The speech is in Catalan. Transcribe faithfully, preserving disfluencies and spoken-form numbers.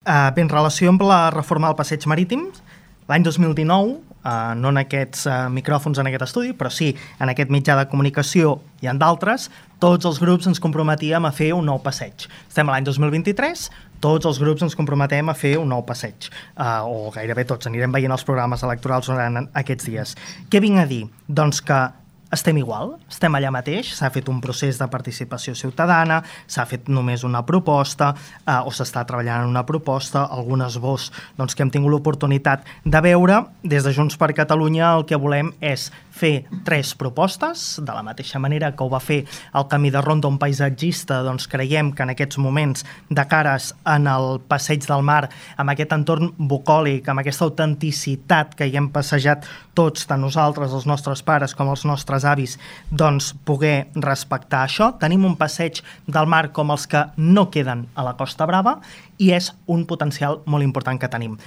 Uh, bé, en relació amb la reforma del passeig marítim, l'any dos mil dinou, uh, no en aquests uh, micròfons en aquest estudi, però sí en aquest mitjà de comunicació i en d'altres, tots els grups ens comprometíem a fer un nou passeig. Estem a l'any dos mil vint-i-tres, tots els grups ens comprometem a fer un nou passeig, uh, o gairebé tots, anirem veient els programes electorals durant aquests dies. Què vinc a dir? Doncs que estem igual, estem allà mateix, s'ha fet un procés de participació ciutadana, s'ha fet només una proposta, eh, o s'està treballant en una proposta, algun esbós doncs, que hem tingut l'oportunitat de veure. Des de Junts per Catalunya el que volem és fer tres propostes, de la mateixa manera que ho va fer el Camí de Ronda, un paisatgista, doncs creiem que en aquests moments de cares en el passeig del mar, amb aquest entorn bucòlic, amb aquesta autenticitat que hi hem passejat tots, tant nosaltres, els nostres pares, com els nostres avis, doncs poder respectar això. Tenim un passeig del mar com els que no queden a la Costa Brava i és un potencial molt important que tenim.